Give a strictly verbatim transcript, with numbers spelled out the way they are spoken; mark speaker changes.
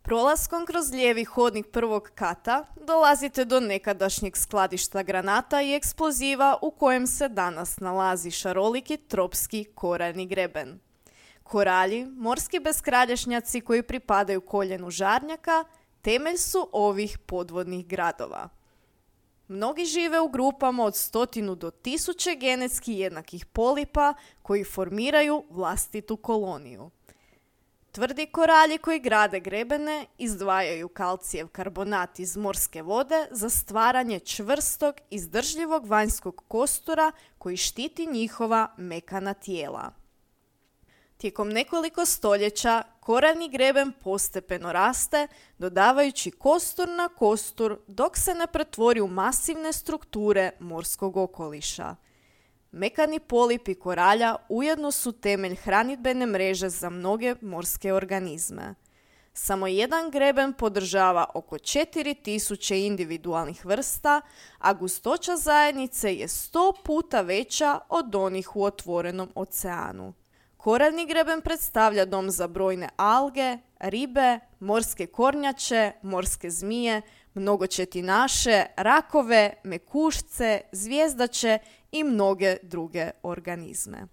Speaker 1: Prolaskom kroz lijevi hodnik prvog kata dolazite do nekadašnjeg skladišta granata i eksploziva u kojem se danas nalazi šaroliki tropski koraljni greben. Koralji, morski beskralješnjaci koji pripadaju koljenu žarnjaka, temelj su ovih podvodnih gradova. Mnogi žive u grupama od stotinu do tisuće genetski jednakih polipa koji formiraju vlastitu koloniju. Tvrdi koralji koji grade grebene izdvajaju kalcijev karbonat iz morske vode za stvaranje čvrstog, izdržljivog vanjskog kostura koji štiti njihova mekana tijela. Tijekom nekoliko stoljeća koraljni greben postepeno raste, dodavajući kostur na kostur dok se ne pretvori u masivne strukture morskog okoliša. Mekani polipi koralja ujedno su temelj hranidbene mreže za mnoge morske organizme. Samo jedan greben podržava oko četiri tisuće individualnih vrsta, a gustoća zajednice je sto puta veća od onih u otvorenom oceanu. Koraljni greben predstavlja dom za brojne alge, ribe, morske kornjače, morske zmije, mnogočetinaše, rakove, mekušce, zvijezdače i mnoge druge organizme.